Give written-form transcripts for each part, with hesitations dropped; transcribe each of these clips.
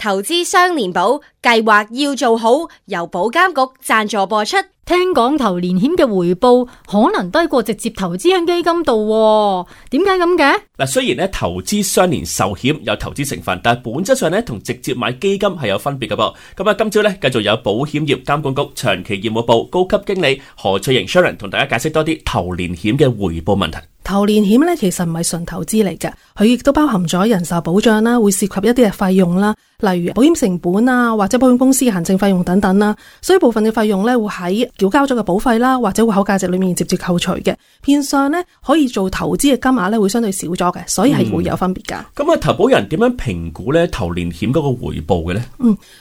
投資雙年保計劃要做好，由保監局贊助播出。聽講投年險嘅回報可能低過直接投資喺基金度，點解咁嘅？嗱，雖然咧投資雙年壽險有投資成分，但係本質上咧同直接買基金係有分別嘅噃。咁啊，今朝咧繼續有保險業監管局長期業務部高級經理何翠瑩 Sharon 同大家解釋多啲投年險嘅回報問題。投年險咧其實唔係純投資嚟嘅，佢亦都包含咗人壽保障啦，會涉及一啲嘅費用啦，例如保險成本啊，或者保險公司嘅行政費用等等啦。所以部分嘅費用咧會喺繳交咗嘅保費啦，或者戶口價值裏面直接扣除嘅，變相咧可以做投資嘅金額咧會相對少咗嘅，所以係會有分別噶。咁投保人點樣評估咧投年險嗰個回報嘅咧？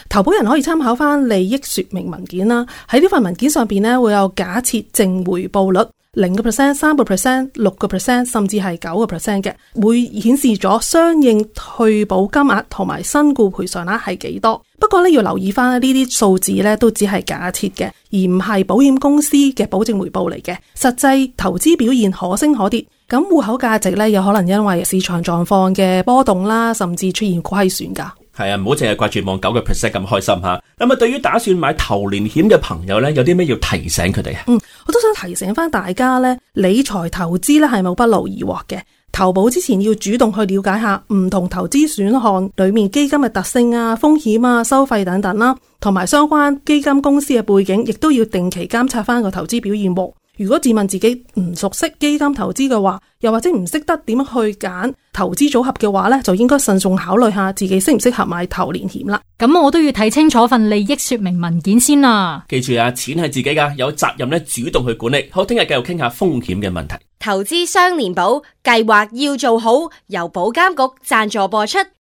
投保人可以參考翻利益說明文件啦，喺呢份文件上邊咧會有假設淨回報率。0%、3%、6%，甚至係9% 嘅，會顯示咗相應退保金額同埋身故賠償額係幾多。不過咧要留意翻呢啲數字咧都只係假設嘅，而唔係保險公司嘅保證回報嚟嘅。實際投資表現可升可跌，咁戶口價值咧有可能因為市場狀況嘅波動啦，甚至出現虧損噶。係啊，唔好淨係掛住望9% 咁開心吓。咁啊，對於打算買投年險嘅朋友咧，有啲咩要提醒佢哋啊？我都想提醒翻大家咧，理財投資咧係冇不勞而獲嘅。投保之前要主動去了解下唔同投資選項裏面基金嘅特性啊、風險啊、收費等等啦，同埋相關基金公司嘅背景，亦都要定期監察翻個投資表現喎。如果自問自己唔熟悉基金投資嘅話，又或者唔識得點樣去揀投資組合嘅話呢，就應該慎重考慮下自己適唔適合買投年險啦。咁我都要睇清楚份利益說明文件先啦。記住啊，錢係自己噶，有責任咧主動去管理。好，聽日繼續傾下風險嘅問題。投資雙年保計劃要做好，由保監局贊助播出。